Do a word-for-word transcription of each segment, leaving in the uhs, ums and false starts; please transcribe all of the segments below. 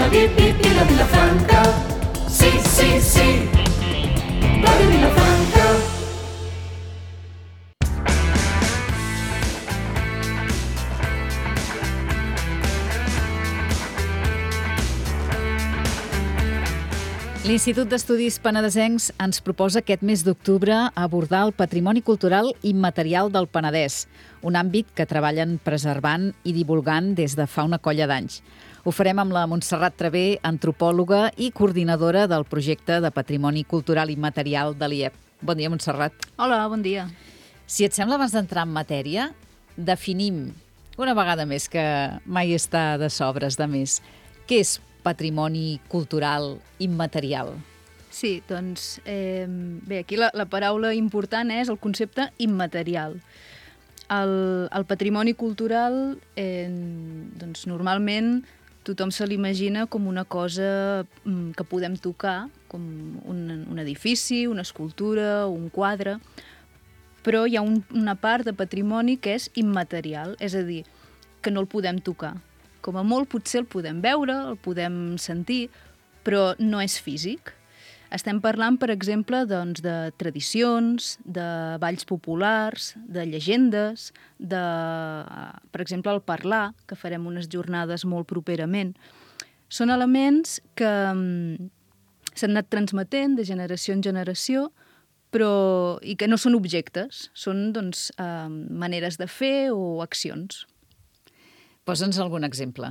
Viva Vilafranca, sí, sí, sí, Ràdio Vilafranca. L'Institut d'Estudis Penedesencs ens proposa aquest mes d'octubre abordar el patrimoni cultural immaterial del Penedès, un àmbit que treballen preservant i divulgant des de fa una colla d'anys. Ho farem amb la Montserrat Traver, antropòloga i coordinadora del projecte de Patrimoni Cultural Immaterial de l'I E P. Bon dia, Montserrat. Hola, bon dia. Si et sembla, abans d'entrar en matèria, definim una vegada més, que mai està de sobres de més, què és patrimoni cultural immaterial? Sí, doncs, eh, bé, aquí la, la paraula important és el concepte immaterial. El, el patrimoni cultural, eh, doncs, normalment tothom se l'imagina com una cosa que podem tocar, com un, un edifici, una escultura, un quadre, però hi ha un, una part de patrimoni que és immaterial, és a dir, que no el podem tocar. Com a molt potser el podem veure, el podem sentir, però no és físic. Estem parlant, per exemple, doncs, de tradicions, de balls populars, de llegendes, de, per exemple, el parlar, que farem unes jornades molt properament. Són elements que um, s'han anat transmetent de generació en generació, però, i que no són objectes, són doncs, uh, maneres de fer o accions. Posa'ns algun exemple.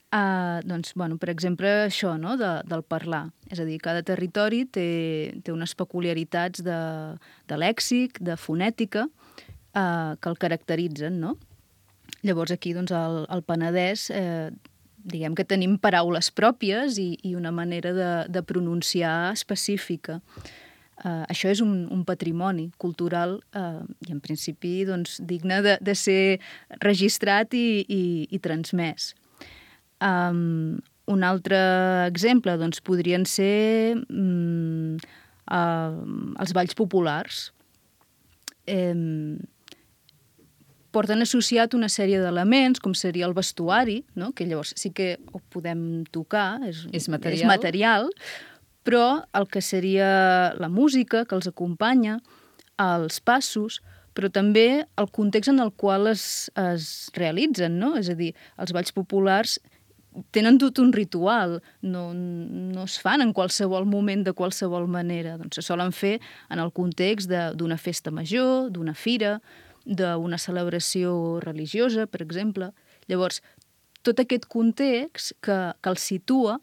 Uh, doncs, bueno, per exemple, això, no?, de, del parlar. És a dir, cada territori té, té unes peculiaritats de, de lèxic, de fonètica, uh, que el caracteritzen, no? Llavors, aquí, doncs, al, al Penedès, eh, diguem que tenim paraules pròpies i, i una manera de, de pronunciar específica. Uh, això és un, un patrimoni cultural uh, i, en principi, doncs, digne de, de ser registrat i, i, i transmès. Um, un altre exemple doncs, podrien ser um, uh, els balls populars. Um, porten associat una sèrie d'elements, com seria el vestuari, no?, que llavors sí que ho podem tocar, és, és material, és material, però el que seria la música que els acompanya, els passos, però també el context en el qual es, es realitzen, no? És a dir, els balls populars tenen tot un ritual, no, no es fan en qualsevol moment de qualsevol manera. Doncs se solen fer en el context d'una festa major, d'una fira, d'una celebració religiosa, per exemple. Llavors, tot aquest context que, que els situa,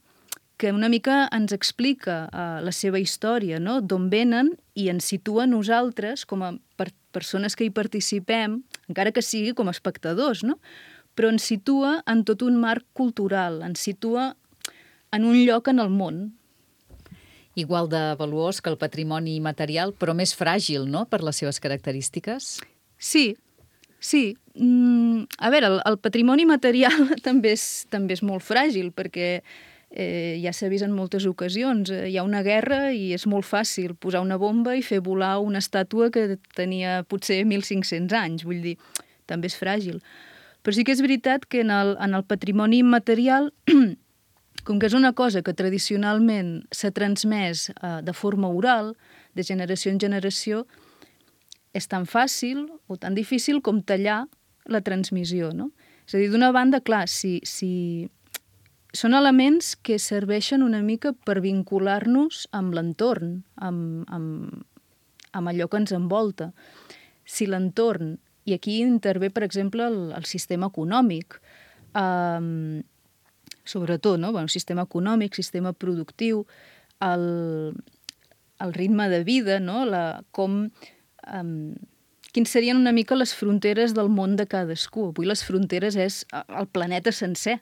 que una mica ens explica uh, la seva història, no?, d'on venen, i ens situa nosaltres com a per persones que hi participem, encara que sigui com a espectadors, no?, però ens situa en tot un marc cultural, ens situa en un lloc en el món. Igual de valuós que el patrimoni material, però més fràgil, no?, per les seves característiques? Sí, sí. Mm, a veure, el, el patrimoni material també és, també és molt fràgil, perquè eh, ja s'ha vist en moltes ocasions. Eh, hi ha una guerra i és molt fàcil posar una bomba i fer volar una estàtua que tenia potser mil cinc-cents anys. Vull dir, també és fràgil. Però sí que és veritat que en el, en el patrimoni immaterial, com que és una cosa que tradicionalment s'ha transmès eh, de forma oral, de generació en generació, és tan fàcil o tan difícil com tallar la transmissió, no? És a dir, d'una banda, clar, si, si són elements que serveixen una mica per vincular-nos amb l'entorn, amb, amb, amb allò que ens envolta. Si l'entorn, i aquí intervé, per exemple, el, el sistema econòmic, um, sobretot, no? Bueno, sistema econòmic, sistema productiu, el, el ritme de vida, no? La, com... Um, quins serien una mica les fronteres del món de cadascú. Avui les fronteres és el planeta sencer.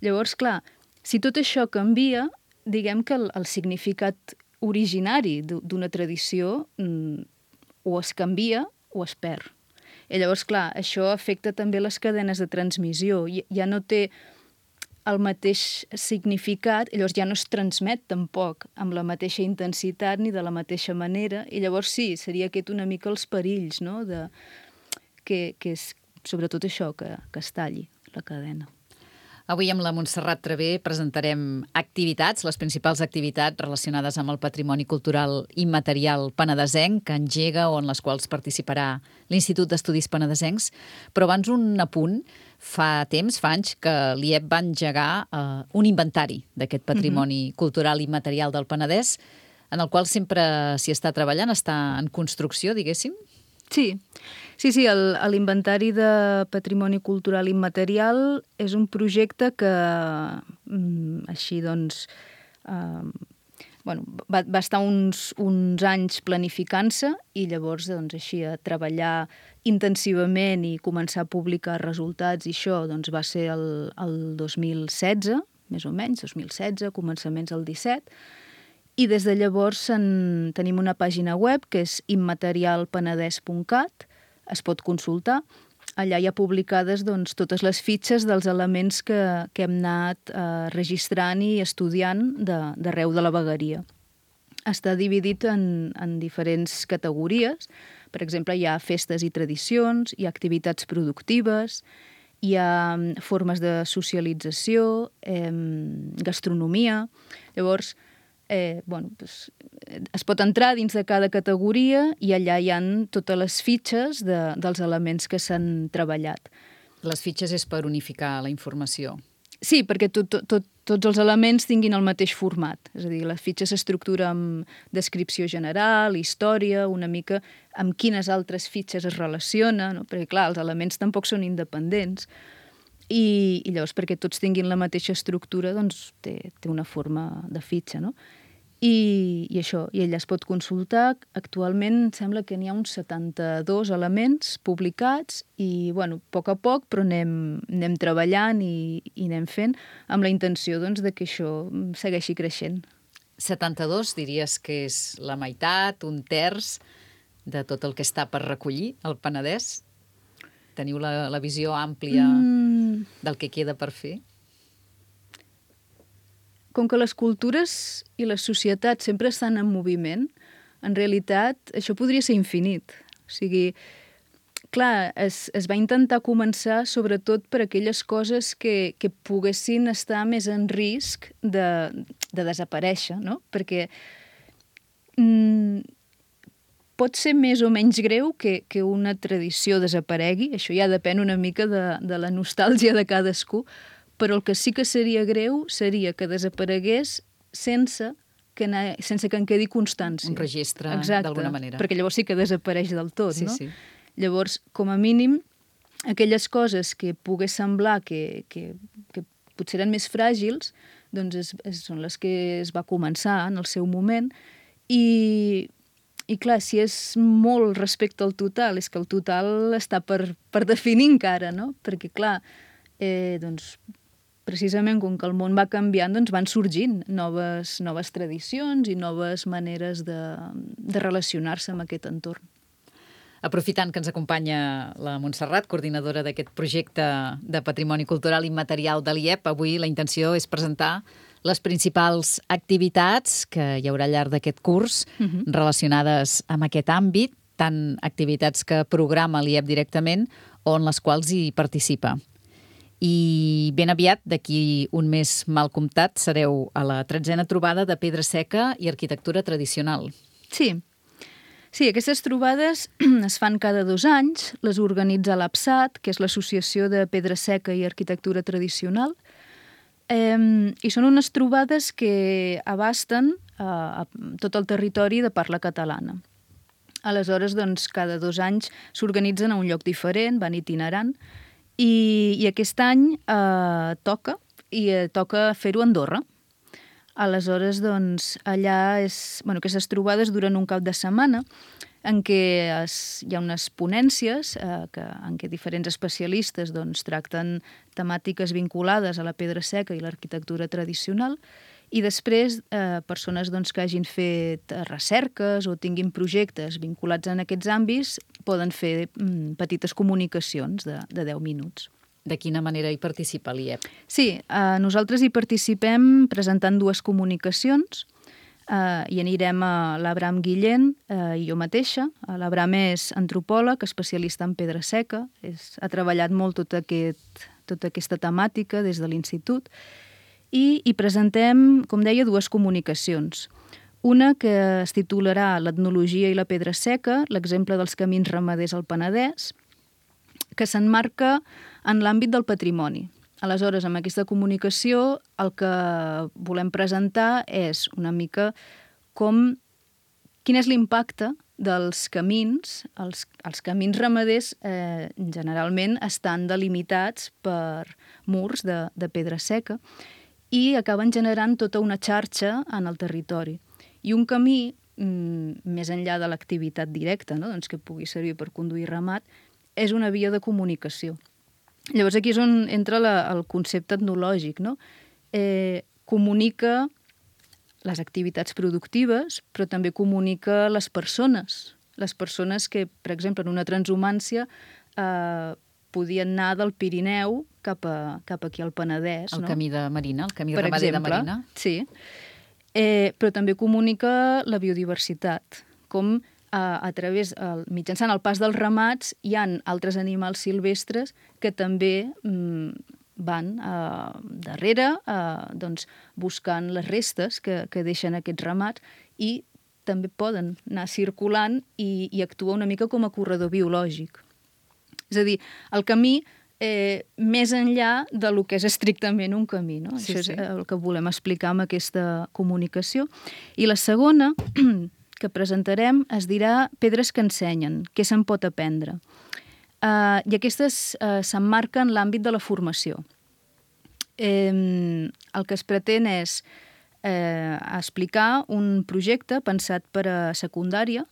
Llavors, clar, si tot això canvia, diguem que el, el significat originari d'una tradició mm, o es canvia o es perd. I llavors, clar, això afecta també les cadenes de transmissió. Ja no té el mateix significat, i llavors ja no es transmet tampoc amb la mateixa intensitat ni de la mateixa manera, i llavors sí, seria aquest una mica els perills, no?, de, que, que és sobretot això, que, que es talli la cadena. Avui amb la Montserrat Traver presentarem activitats, les principals activitats relacionades amb el patrimoni cultural immaterial penedesenc que engega o en les quals participarà l'Institut d'Estudis Penedesencs. Però abans un apunt. Fa temps, fa anys, que l'I E P va engegar eh, un inventari d'aquest patrimoni uh-huh. cultural immaterial del Penedès, en el qual sempre s'hi està treballant, està en construcció, diguéssim. Sí, sí, sí, el- l'inventari de patrimoni cultural immaterial és un projecte que, mm, així doncs, eh, bueno, va, va estar uns, uns anys planificant-se i llavors, doncs, així, a treballar intensivament i començar a publicar resultats i això, doncs, va ser el, el dos mil setze, més o menys, dos mil setze, començaments del disset, i des de llavors en, tenim una pàgina web que és immaterialpenedès punt cat, es pot consultar. Allà hi ha publicades doncs, totes les fitxes dels elements que, que hem anat eh, registrant i estudiant de- d'arreu de la vegueria. Està dividit en, en diferents categories. Per exemple, hi ha festes i tradicions, hi ha activitats productives, hi ha mm, formes de socialització, eh, gastronomia. Llavors, eh, bueno, doncs, eh, es pot entrar dins de cada categoria i allà hi han totes les fitxes de, dels elements que s'han treballat. Les fitxes és per unificar la informació. Sí, perquè tot, tot, tot, tots els elements tinguin el mateix format. És a dir, la fitxa s'estructura amb descripció general, història, una mica amb quines altres fitxes es relaciona, no? Perquè, clar, els elements tampoc són independents. I, i llavors, perquè tots tinguin la mateixa estructura, doncs té, té una forma de fitxa, no? I, i això, i ella es pot consultar. Actualment em sembla que n'hi ha uns setanta-dos elements publicats i, bueno, a poc a poc, però anem, anem treballant i, i anem fent amb la intenció, doncs, de que això segueixi creixent. setanta-dos diries que és la meitat, un terç de tot el que està per recollir al Penedès? Teniu la, la visió àmplia Mm, del que queda per fer? com que les cultures i les societats sempre estan en moviment, en realitat això podria ser infinit. O sigui, clar, es, es va intentar començar sobretot per aquelles coses que, que poguessin estar més en risc de, de desaparèixer, no? Perquè mm, pot ser més o menys greu que, que una tradició desaparegui, això ja depèn una mica de, de la nostàlgia de cadascú, però el que sí que seria greu seria que desaparegués sense que, na- sense que en quedi constància. Un registre, Exacte, d'alguna manera. perquè llavors sí que desapareix del tot, Sí, no? sí. Llavors, com a mínim, aquelles coses que pogués semblar que, que, que potser eren més fràgils, doncs és, és, són les que es va començar en el seu moment. I, i clar, si és molt respecte al total, és que el total està per, per definir encara, no? Perquè, clar, eh, doncs, precisament com que el món va canviant, doncs van sorgint noves, noves tradicions i noves maneres de, de relacionar-se amb aquest entorn. Aprofitant que ens acompanya la Montserrat, coordinadora d'aquest projecte de patrimoni cultural immaterial de l'I E P, avui la intenció és presentar les principals activitats que hi haurà al llarg d'aquest curs Mhm. relacionades amb aquest àmbit, tant activitats que programa l'I E P directament o en les quals hi participa. I ben aviat, d'aquí un mes mal comptat, sereu a la tretzena trobada de pedra seca i arquitectura tradicional. Sí. Sí, aquestes trobades es fan cada dos anys, les organitza l'APSAT, que és l'Associació de Pedra Seca i Arquitectura Tradicional, eh, i són unes trobades que abasten eh, a tot el territori de parla catalana. Aleshores, doncs, cada dos anys s'organitzen a un lloc diferent, van itinerant, i, i aquest any eh, toca, i eh, toca fer-ho a Andorra. Aleshores, doncs, allà és... Bueno, aquestes trobades duren un cap de setmana en què es, hi ha unes ponències eh, que, en què diferents especialistes doncs, tracten temàtiques vinculades a la pedra seca i l'arquitectura tradicional i després eh, persones doncs, que hagin fet recerques o tinguin projectes vinculats en aquests àmbits poden fer mm, petites comunicacions de, de deu minuts. De quina manera hi participa l'I E P? Sí, eh, nosaltres hi participem presentant dues comunicacions. Uh, I anirem a l'Abram Guillén uh, i jo mateixa. Uh, L'Abram és antropòleg, especialista en pedra seca. És, ha treballat molt tot aquest, tota aquesta temàtica des de l'institut. I, I presentem, com deia, dues comunicacions. Una que es titularà L'etnologia i la pedra seca, l'exemple dels camins ramaders al Penedès, que s'emmarca en l'àmbit del patrimoni. Aleshores, amb aquesta comunicació, el que volem presentar és una mica com, quin és l'impacte dels camins. Els, els camins ramaders eh, generalment estan delimitats per murs de, de pedra seca i acaben generant tota una xarxa en el territori. I un camí, mm, més enllà de l'activitat directa, no? doncs que pugui servir per conduir ramat, és una via de comunicació. Llavors aquí és on entra la, el concepte etnològic, no? Eh, comunica les activitats productives, però també comunica les persones. Les persones que, per exemple, en una transhumància eh, podien anar del Pirineu cap, a, cap aquí al Penedès. El no? camí de Marina, el camí per ramader exemple, de Marina. Sí. Eh, però també comunica la biodiversitat, com a, a través, el, mitjançant el pas dels ramats, hi ha altres animals silvestres que també mm, van eh, darrere, eh, doncs, buscant les restes que, que deixen aquests ramats i també poden anar circulant i, i actuar una mica com a corredor biològic. És a dir, el camí Eh, més enllà de lo que és estrictament un camí. No? Sí, Això sí. és el que volem explicar amb aquesta comunicació. I la segona que presentarem es dirà Pedres que ensenyen, què se'n pot aprendre. Uh, I aquestes uh, s'emmarquen en l'àmbit de la formació. Eh, el que es pretén és eh, explicar un projecte pensat per a secundària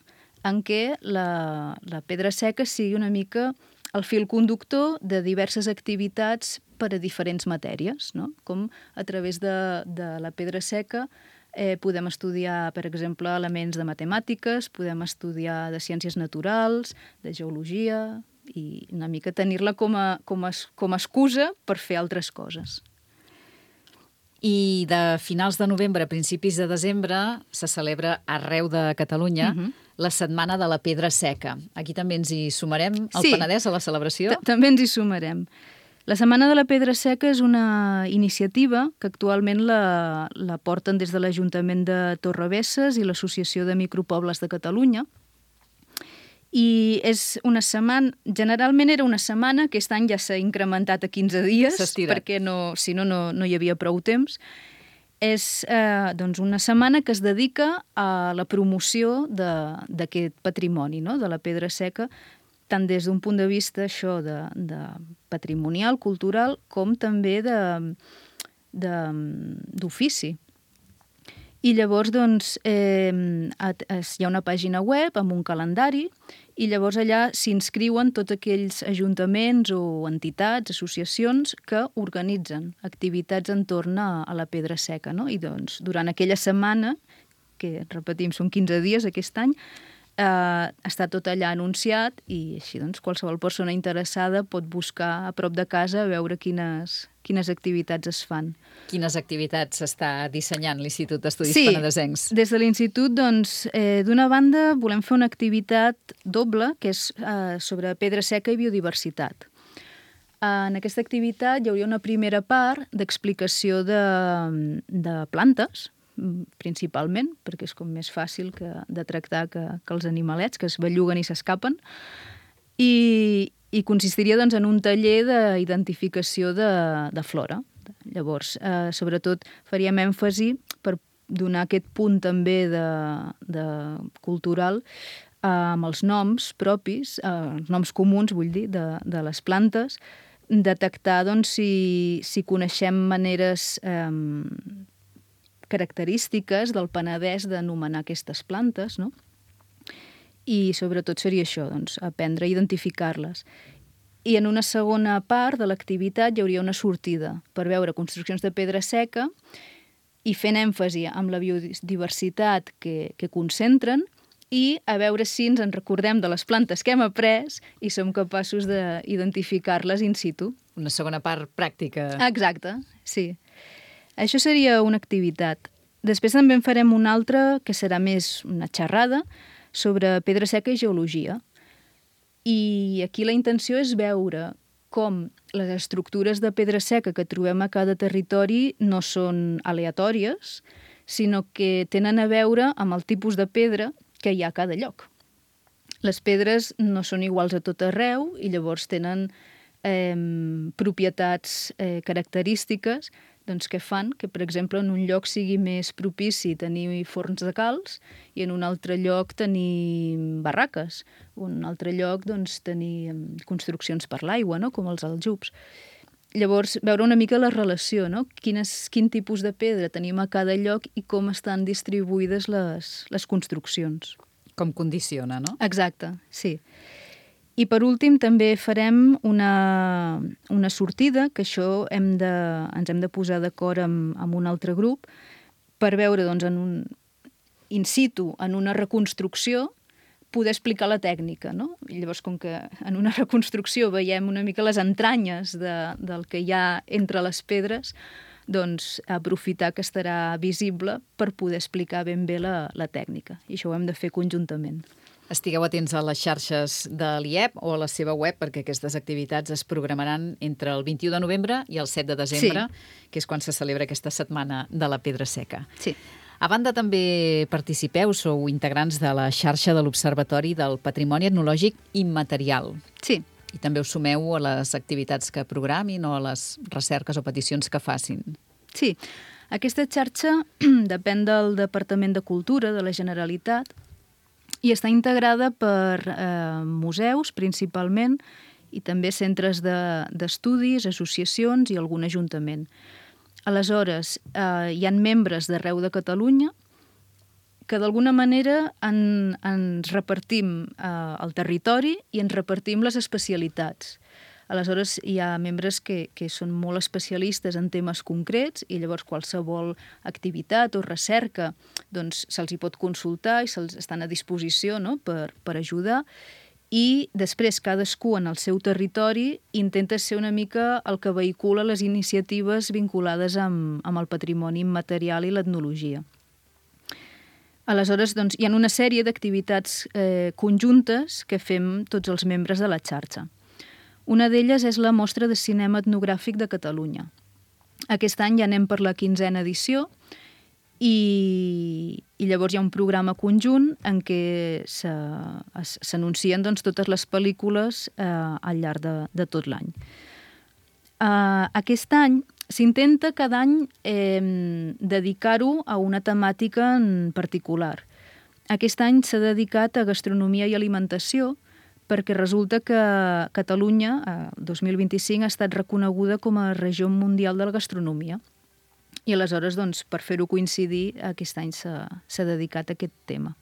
en què la, la pedra seca sigui una mica el fil conductor de diverses activitats per a diferents matèries, no? Com a través de, de la pedra seca eh, podem estudiar, per exemple, elements de matemàtiques, podem estudiar de ciències naturals, de geologia, i una mica tenir-la com a, com a, com a excusa per fer altres coses. I de finals de novembre a principis de desembre se celebra arreu de Catalunya uh-huh. la Setmana de la Pedra Seca. Aquí també ens hi sumarem, al Sí. Penedès, a la celebració? També ens hi sumarem. La Setmana de la Pedra Seca és una iniciativa que actualment la, la porten des de l'Ajuntament de Torrebesses i l'Associació de Micropobles de Catalunya. I és una setmana, generalment era una setmana, aquest any ja s'ha incrementat a quinze dies, perquè no, si no, no, no hi havia prou temps. És eh, doncs una setmana que es dedica a la promoció d'aquest patrimoni, no? de la pedra seca, tant des d'un punt de vista això de, de patrimonial, cultural, com també d'ofici. I llavors doncs, eh, hi ha una pàgina web amb un calendari i llavors allà s'inscriuen tots aquells ajuntaments o entitats, associacions que organitzen activitats entorn a, a la pedra seca. No? I doncs, durant aquella setmana, que repetim, són quinze dies aquest any, eh, està tot allà anunciat i així doncs, qualsevol persona interessada pot buscar a prop de casa a veure quines, quines activitats es fan. Quines activitats s'està dissenyant l'Institut d'Estudis sí, Penedesencs? Des de l'Institut, doncs, eh, d'una banda, volem fer una activitat doble, que és eh, sobre pedra seca i biodiversitat. Eh, en aquesta activitat hi hauria una primera part d'explicació de, de plantes, principalment, perquè és com més fàcil que, de tractar que, que els animalets, que es belluguen i s'escapen, i, i consistiria doncs, en un taller d'identificació de, de flora. Llavors, eh, sobretot faríem èmfasi per donar aquest punt també de, de cultural eh, amb els noms propis, eh, els noms comuns, vull dir, de, de les plantes, detectar doncs, si, si coneixem maneres eh, característiques del Penedès d'anomenar aquestes plantes, no? I sobretot seria això, doncs, aprendre a identificar-les. I en una segona part de l'activitat hi hauria una sortida per veure construccions de pedra seca i fent èmfasi amb la biodiversitat que, que concentren i a veure si ens en recordem de les plantes que hem après i som capaços d'identificar-les in situ. Una segona part pràctica. Exacte, sí. Això seria una activitat. Després també en farem una altra, que serà més una xerrada, sobre pedra seca i geologia. I aquí la intenció és veure com les estructures de pedra seca que trobem a cada territori no són aleatòries, sinó que tenen a veure amb el tipus de pedra que hi ha a cada lloc. Les pedres no són iguals a tot arreu i llavors tenen eh, propietats eh, característiques doncs, que fan que, per exemple, en un lloc sigui més propici tenir forns de calç i en un altre lloc tenir barraques, o en un altre lloc doncs, tenir construccions per l'aigua, no? Com els aljubs. Llavors, veure una mica la relació, no? Quines, quin tipus de pedra tenim a cada lloc i com estan distribuïdes les, les construccions. Com condiciona, no? Exacte, sí. I per últim també farem una, una sortida, que això hem de, ens hem de posar d'acord amb, amb un altre grup, per veure doncs, en un in situ, en una reconstrucció, poder explicar la tècnica, no? I llavors, com que en una reconstrucció veiem una mica les entranyes de, del que hi ha entre les pedres, doncs aprofitar que estarà visible per poder explicar ben bé la, la tècnica. I això ho hem de fer conjuntament. Estigueu atents a les xarxes de l'I E P o a la seva web, perquè aquestes activitats es programaran entre el vint-i-u de novembre i el set de desembre, sí. que és quan se celebra aquesta setmana de la pedra seca. Sí. A banda, també participeu, sou integrants de la xarxa de l'Observatori del Patrimoni Etnològic Immaterial. Sí. I també us sumeu a les activitats que programin o a les recerques o peticions que facin. Sí. Aquesta xarxa depèn del Departament de Cultura de la Generalitat i està integrada per eh, museus, principalment, i també centres d'estudis, de, associacions i algun ajuntament. Aleshores, eh, hi ha membres d'arreu de Catalunya que d'alguna manera en, ens repartim eh, el territori i ens repartim les especialitats. Aleshores, hi ha membres que, que són molt especialistes en temes concrets i llavors qualsevol activitat o recerca doncs, se'ls hi pot consultar i se'ls estan a disposició, no?, per, per ajudar. I després cadascú en el seu territori intenta ser una mica el que vehicula les iniciatives vinculades amb, amb el patrimoni immaterial i l'etnologia. Aleshores, doncs, hi ha una sèrie d'activitats eh, conjuntes que fem tots els membres de la xarxa. Una d'elles és la Mostra de Cinema Etnogràfic de Catalunya. Aquest any ja anem per la quinzena edició i, i llavors hi ha un programa conjunt en què s'anuncien doncs, totes les pel·lícules eh, al llarg de, de tot l'any. Uh, aquest any s'intenta cada any eh, dedicar-ho a una temàtica en particular. Aquest any s'ha dedicat a gastronomia i alimentació perquè resulta que Catalunya, el dos mil vint-i-cinc, ha estat reconeguda com a regió mundial de la gastronomia. I aleshores, doncs, per fer-ho coincidir, aquest any s'ha dedicat a aquest tema.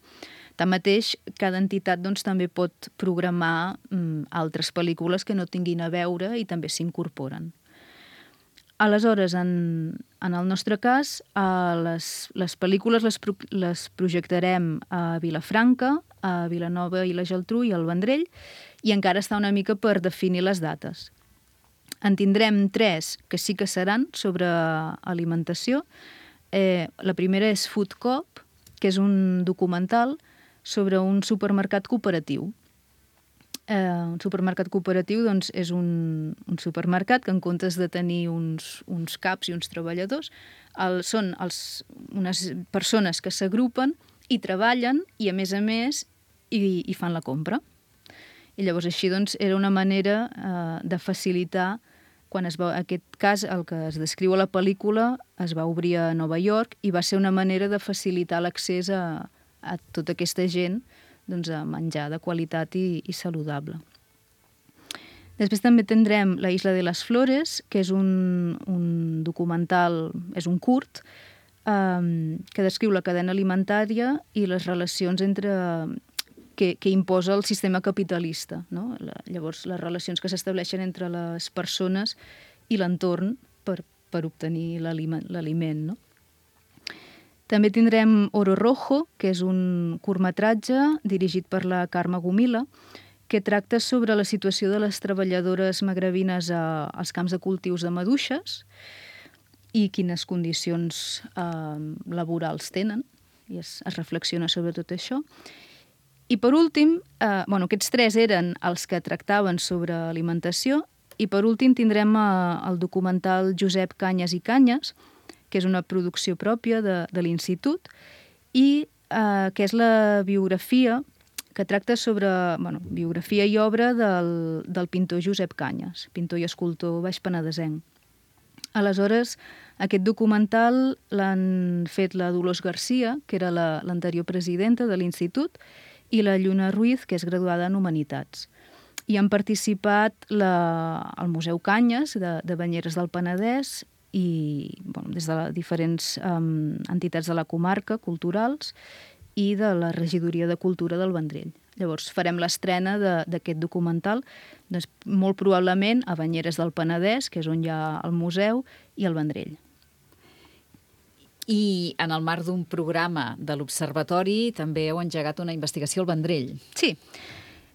Tanmateix, cada entitat doncs, també pot programar mm, altres pel·lícules que no tinguin a veure i també s'incorporen. Aleshores, en, en el nostre cas, eh, les, les pel·lícules les, pro, les projectarem a Vilafranca, a Vilanova i la Geltrú i al Vendrell, i encara està una mica per definir les dates. En tindrem tres que sí que seran sobre alimentació. Eh, la primera és Food Coop, que és un documental sobre un supermercat cooperatiu. Eh, un supermercat cooperatiu doncs, és un, un supermercat que en comptes de tenir uns, uns caps i uns treballadors, el, són els, unes persones que s'agrupen i treballen i, a més a més, i, i fan la compra. I llavors així doncs, era una manera eh, de facilitar, quan es va, en aquest cas el que es descriu a la pel·lícula es va obrir a Nova York i va ser una manera de facilitar l'accés a, a tota aquesta gent doncs, a menjar de qualitat i, i saludable. Després també tindrem La Isla de les Flores, que és un, un documental, és un curt, eh, que descriu la cadena alimentària i les relacions entre que, que imposa el sistema capitalista, no? La, llavors, les relacions que s'estableixen entre les persones i l'entorn per, per obtenir l'aliment, no? També tindrem Oro Rojo, que és un curtmetratge dirigit per la Carme Gomila, que tracta sobre la situació de les treballadores magrebines a, als camps de cultius de maduixes. i quines condicions eh, laborals tenen, i es, es reflexiona sobre tot això. I per últim, eh, bueno, aquests tres eren els que tractaven sobre alimentació, i per últim tindrem eh, el documental Josep Canyes i Canyes, que és una producció pròpia de, de l'Institut, i eh, que és la biografia que tracta sobre, bueno, biografia i obra del, del pintor Josep Canyes, pintor i escultor baixpenedesenc. Aleshores, aquest documental l'han fet la Dolors Garcia, que era la, l'anterior presidenta de l'Institut, i la Lluna Ruiz, que és graduada en Humanitats. I han participat la, el Museu Canyes, de, de Banyeres del Penedès, i bueno, des de diferents um, entitats de la comarca, culturals, i de la Regidoria de Cultura del Vendrell. Llavors farem l'estrena d'aquest documental, doncs, molt probablement a Banyeres del Penedès, que és on hi ha el museu, i el Vendrell. I en el marc d'un programa de l'Observatori també heu engegat una investigació al Vendrell. Sí,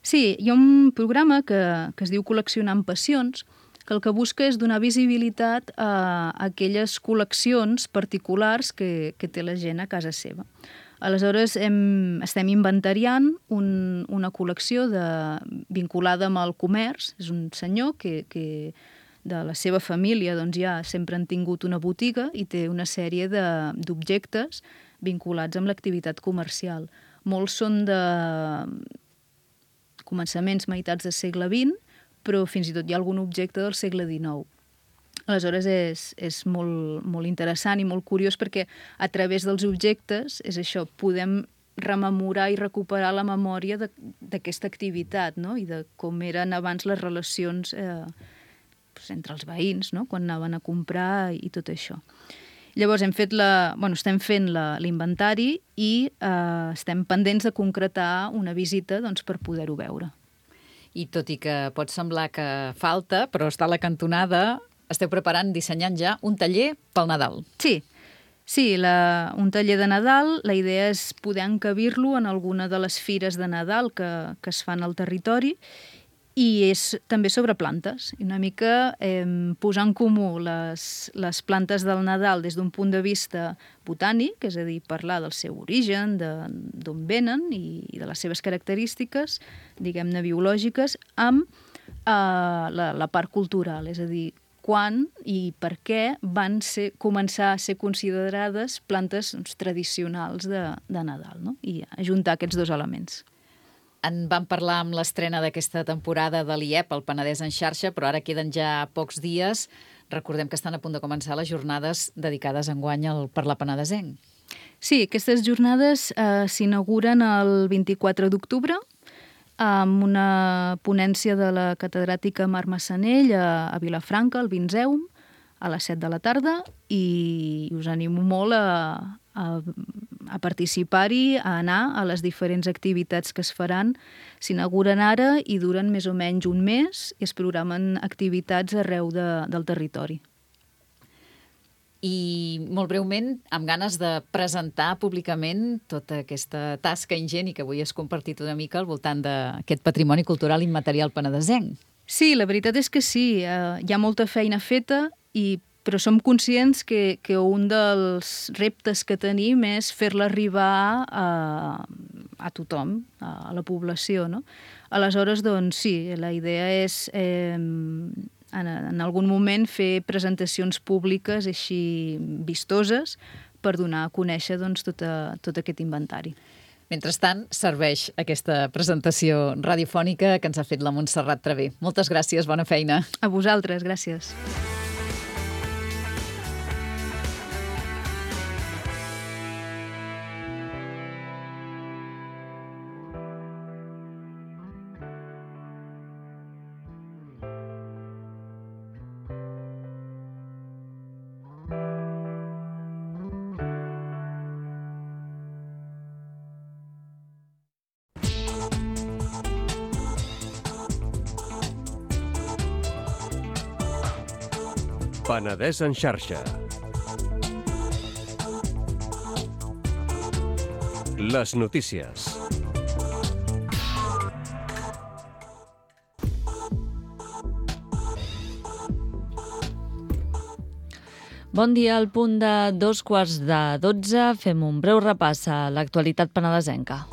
sí, hi ha un programa que, que es diu Col·leccionant Passions, que el que busca és donar visibilitat a aquelles col·leccions particulars que, que té la gent a casa seva. Aleshores, hem, estem inventariant un, una col·lecció de, vinculada amb el comerç. És un senyor que, que de la seva família doncs, ja sempre han tingut una botiga i té una sèrie d'objectes vinculats amb l'activitat comercial. Molts són de començaments meitats del segle vint, però fins i tot hi ha algun objecte del segle dinou. Aleshores, és, és molt, molt interessant i molt curiós perquè a través dels objectes, és això, podem rememorar i recuperar la memòria d'aquesta activitat, no? I de com eren abans les relacions eh, entre els veïns, no? Quan anaven a comprar i tot això. Llavors, hem fet la, bueno, estem fent l'inventari i eh, estem pendents de concretar una visita doncs, per poder-ho veure. I tot i que pot semblar que falta, però està a la cantonada, esteu preparant, dissenyant ja un taller pel Nadal. Sí, sí, la, un taller de Nadal. La idea és poder encabir-lo en alguna de les fires de Nadal que, que es fan al territori, i és també sobre plantes. I una mica eh, posar en comú les, les plantes del Nadal des d'un punt de vista botànic, és a dir, parlar del seu origen, d'on venen i, i de les seves característiques, diguem-ne, biològiques, amb eh, la, la part cultural, és a dir, quan i per què van ser, començar a ser considerades plantes doncs, tradicionals de, de Nadal, no? I ajuntar aquests dos elements. En vam parlar amb l'estrena d'aquesta temporada de l'I E P, el Penedès en xarxa, però ara queden ja pocs dies. Recordem que estan a punt de començar les jornades dedicades enguany al parlar penedesenc. Sí, aquestes jornades eh, s'inauguren el vint-i-quatre d'octubre amb una ponència de la catedràtica Mar Massanell a, a Vilafranca, al Vinzeum, a les set de la tarda, i us animo molt a, a, a participar-hi, a anar a les diferents activitats que es faran. S'inauguren ara i duren més o menys un mes i es programen activitats arreu de, del territori. I molt breument, amb ganes de presentar públicament tota aquesta tasca ingent i que avui has compartit una mica al voltant d'aquest patrimoni cultural immaterial penedesenc. Sí, la veritat és que sí, eh, hi ha molta feina feta, i, però som conscients que, que un dels reptes que tenim és fer-la arribar a, a tothom, a, a la població, no? Aleshores, doncs sí, la idea és eh, en, en algun moment fer presentacions públiques així vistoses per donar a conèixer doncs, tot, a, tot aquest inventari. Mentrestant, serveix aquesta presentació radiofònica que ens ha fet la Montserrat Traver. Moltes gràcies, bona feina. A vosaltres, gràcies. Penedès en xarxa. Les notícies. Bon dia, al punt de dos quarts de dotze fem un breu repàs a l'actualitat penedesenca.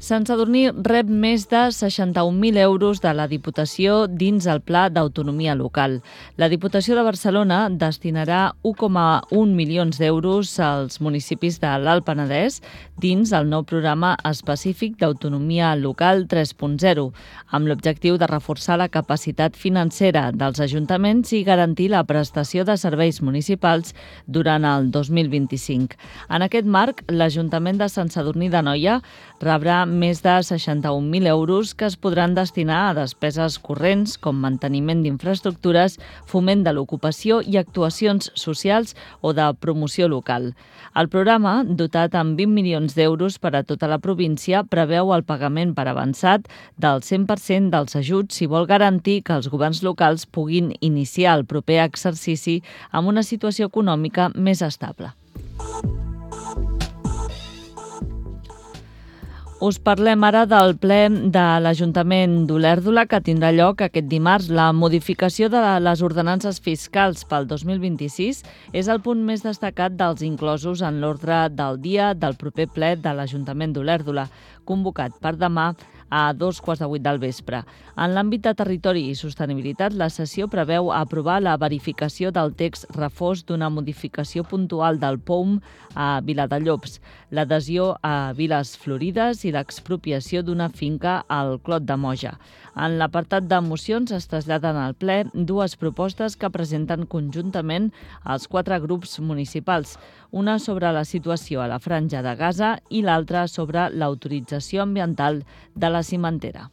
Sant Sadurní rep més de seixanta-un mil euros de la Diputació dins el Pla d'Autonomia Local. La Diputació de Barcelona destinarà u coma un milions d'euros als municipis de l'Alt Penedès dins el nou programa específic d'Autonomia Local tres punt zero, amb l'objectiu de reforçar la capacitat financera dels ajuntaments i garantir la prestació de serveis municipals durant el dos mil vint-i-cinc. En aquest marc, l'Ajuntament de Sant Sadurní d'Anoia rebrà més de seixanta-un mil euros que es podran destinar a despeses corrents com manteniment d'infraestructures, foment de l'ocupació i actuacions socials o de promoció local. El programa, dotat amb vint milions d'euros per a tota la província, preveu el pagament per avançat del cent per cent dels ajuts si vol garantir que els governs locals puguin iniciar el proper exercici amb una situació econòmica més estable. Us parlem ara del ple de l'Ajuntament d'Olèrdola que tindrà lloc aquest dimarts. La modificació de les ordenances fiscals pel dos mil vint-i-sis és el punt més destacat dels inclosos en l'ordre del dia del proper ple de l'Ajuntament d'Olèrdola, convocat per demà a dos quarts de vuit del vespre. En l'àmbit de territori i sostenibilitat, la sessió preveu aprovar la verificació del text refós d'una modificació puntual del P O U M a Viladellobs, l'adhesió a Viles Florides i l'expropiació d'una finca al Clot de Moja. En l'apartat de mocions es traslladen al ple dues propostes que presenten conjuntament els quatre grups municipals, una sobre la situació a la Franja de Gaza i l'altra sobre l'autorització ambiental de la cimentera.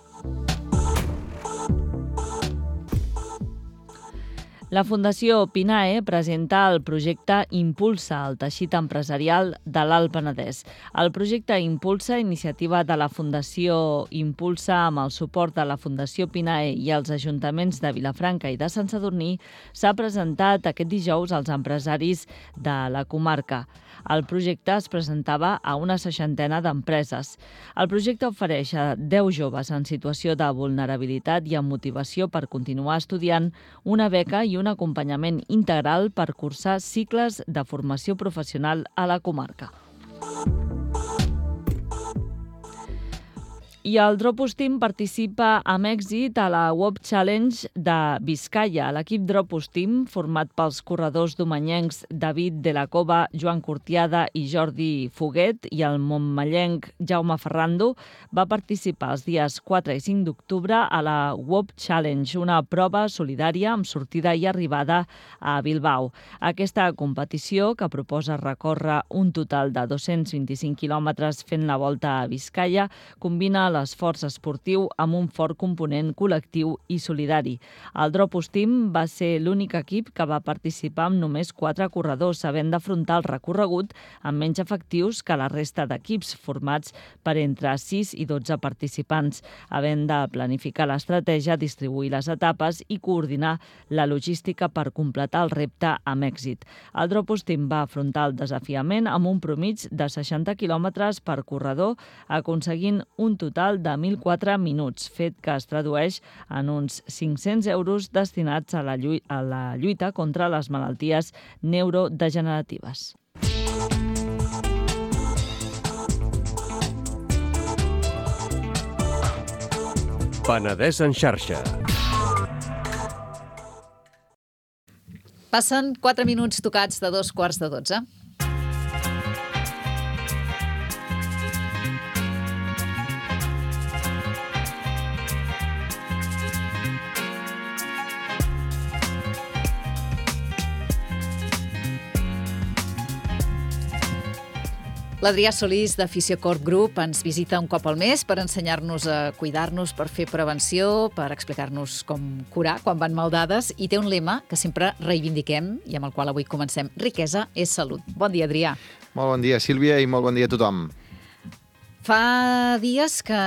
La Fundació Pinae presenta el projecte Impulsa, el teixit empresarial de l'Alt Penedès. El projecte Impulsa, iniciativa de la Fundació Impulsa amb el suport de la Fundació Pinae i els ajuntaments de Vilafranca i de Sant Sadurní, s'ha presentat aquest dijous als empresaris de la comarca. El projecte es presentava a una seixantena d'empreses. El projecte ofereix a deu joves en situació de vulnerabilitat i amb motivació per continuar estudiant una beca i un acompanyament integral per cursar cicles de formació professional a la comarca. I el Dropus Team participa amb èxit a la Web Challenge de Vizcaya. L'equip Dropus Team, format pels corredors domenyencs David de la Cova, Joan Cortiada i Jordi Foguet i el montmellenc Jaume Ferrando, va participar els dies quatre i cinc d'octubre a la Web Challenge, una prova solidària amb sortida i arribada a Bilbao. Aquesta competició, que proposa recórrer un total de dos-cents vint-i-cinc quilòmetres fent la volta a Vizcaya, combina l'esforç esportiu amb un fort component col·lectiu i solidari. El Dropus Team va ser l'únic equip que va participar amb només quatre corredors, havent d'afrontar el recorregut amb menys efectius que la resta d'equips, formats per entre sis i dotze participants, havent de planificar l'estratègia, distribuir les etapes i coordinar la logística per completar el repte amb èxit. El Dropus Team va afrontar el desafiament amb un promig de seixanta quilòmetres per corredor, aconseguint un total de mil quatre minuts, fet que es tradueix en uns cinc-cents euros destinats a la, lluita, a la lluita contra les malalties neurodegeneratives. Penedès en xarxa. Passen quatre minuts tocats de dos quarts de dotze. L'Adrià Solís de Fisiocorp Group ens visita un cop al mes per ensenyar-nos a cuidar-nos, per fer prevenció, per explicar-nos com curar quan van mal dades, i té un lema que sempre reivindiquem i amb el qual avui comencem: riquesa és salut. Bon dia, Adrià. Molt bon dia, Sílvia, i molt bon dia a tothom. Fa dies que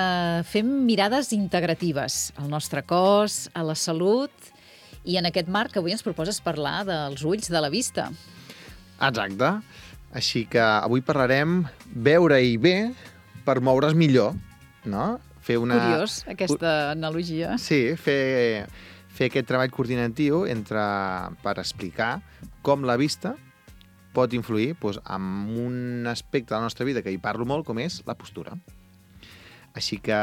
fem mirades integratives al nostre cos, a la salut, i en aquest marc avui ens proposes parlar dels ulls, de la vista. Exacte. Així que avui parlarem veure-hi bé per moure's millor, no? Fer una... Curiós, aquesta analogia. Sí, fer, fer aquest treball coordinatiu entre, per explicar com la vista pot influir doncs, en un aspecte de la nostra vida que hi parlo molt, com és la postura. Així que...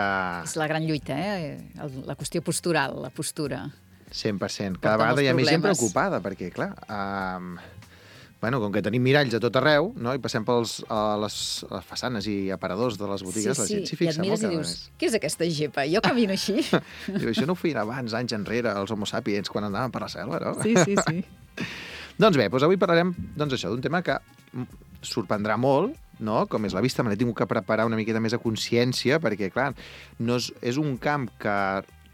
És la gran lluita, eh? El- La qüestió postural, la postura. cent per cent. Cada Porta vegada hi ha molts més gent problemes. preocupada, perquè, clar, um, bueno, com que tenim miralls a tot arreu, no? I passem pels, a les, a les façanes i aparadors de les botigues, la gent s'hi i et fixa mires molt i cada dius, vegada què és aquesta gepa? Jo camino així? més. Diu, això no ho feien abans, anys enrere, els homo sapiens, quan andaven per la selva, no? Sí, sí, sí. Doncs bé, doncs avui parlarem doncs això d'un tema que mm, sorprendrà molt, no? Com és la vista. Me l'he tingut que preparar una miqueta més a consciència, perquè, clar, no és, és un camp que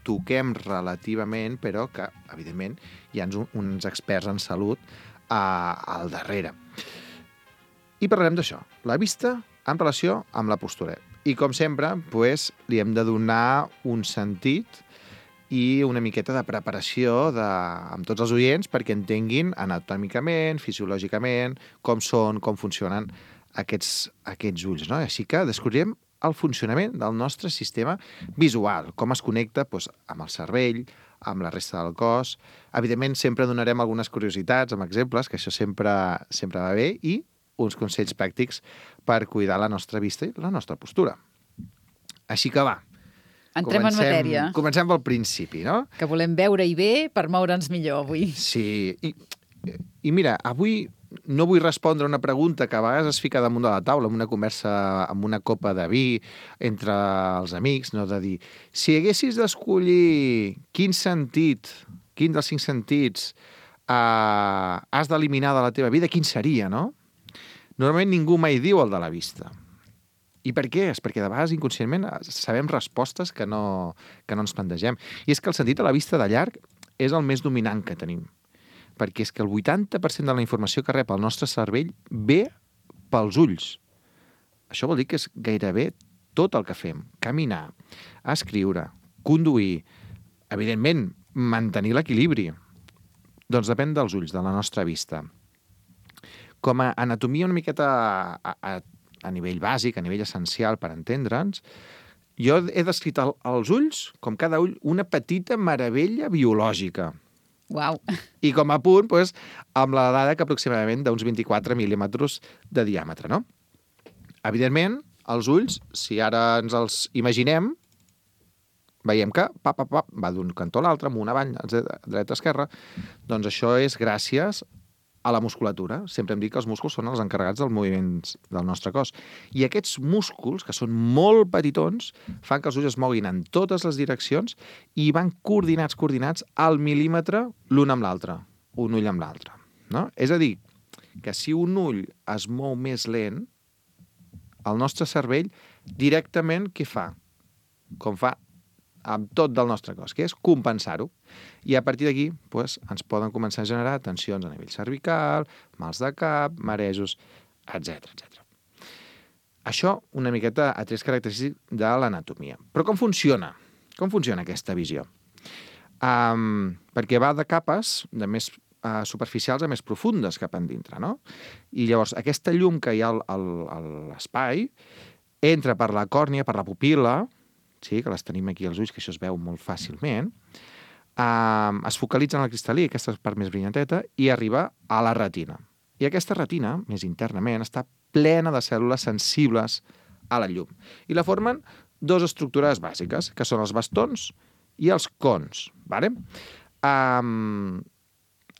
toquem relativament, però que, evidentment, hi ha uns, uns experts en salut a, al darrere. I parlarem d'això, la vista en relació amb la postura. I, com sempre, pues, li hem de donar un sentit i una miqueta de preparació de, amb tots els oients perquè entenguin anatòmicament, fisiològicament, com són, com funcionen aquests, aquests ulls. No? Així que descobrirem el funcionament del nostre sistema visual, com es connecta doncs, amb el cervell, amb la resta del cos. Evidentment, sempre donarem algunes curiositats amb exemples, que això sempre, sempre va bé, i uns consells pràctics per cuidar la nostra vista i la nostra postura. Així que va, Entrem en matèria, Comencem pel principi, no? que volem veure i bé per moure'ns millor avui. Sí, i, i mira, avui no vull respondre una pregunta que a vegades es fica damunt de la taula en una conversa amb una copa de vi entre els amics, no? De dir, si haguessis d'escollir quin sentit, quin dels cinc sentits eh, has d'eliminar de la teva vida, quin seria, no? Normalment ningú mai diu el de la vista. I per què? És perquè de vegades inconscientment sabem respostes que no, que no ens plantegem. I és que el sentit de la vista de llarg és el més dominant que tenim. Perquè és que el vuitanta per cent de la informació que rep el nostre cervell ve pels ulls. Això vol dir que és gairebé tot el que fem. Caminar, escriure, conduir, evidentment, mantenir l'equilibri. Doncs depèn dels ulls, de la nostra vista. Com a anatomia una miqueta a, a, a nivell bàsic, a nivell essencial per entendre'ns, jo he descrit el, els ulls, com cada ull, una petita meravella biològica. Uau! I com a punt, doncs, amb la dada que aproximadament d'uns vint-i-quatre mil·límetres de diàmetre, no? Evidentment, els ulls, si ara ens els imaginem, veiem que pa, pa, pa, va d'un cantó a l'altre, amunt, avall, dreta, esquerra, doncs això és gràcies a la musculatura. Sempre hem dit que els músculs són els encarregats dels moviments del nostre cos. I aquests músculs, que són molt petitons, fan que els ulls es moguin en totes les direccions i van coordinats, coordinats al mil·límetre l'un amb l'altre, un ull amb l'altre. No? És a dir, que si un ull es mou més lent, el nostre cervell directament què fa? Com fa amb tot del nostre cos, que és compensar-ho. I a partir d'aquí doncs, ens poden començar a generar tensions a nivell cervical, mals de cap, marejos, etcètera, etcètera. Això una miqueta a tres característics de l'anatomia. Però com funciona? Com funciona aquesta visió? Um, perquè va de capes de més uh, superficials a més profundes cap endintre, no? I llavors aquesta llum que hi ha al, al, a l'espai entra per la còrnia, per la pupil·la, sí, que les tenim aquí als ulls, que això es veu molt fàcilment, um, es focalitza en el cristal·lí, aquesta part més brillanteta, i arriba a la retina. I aquesta retina, més internament, està plena de cèl·lules sensibles a la llum. I la formen dues estructures bàsiques, que són els bastons i els cons. Vale? Um,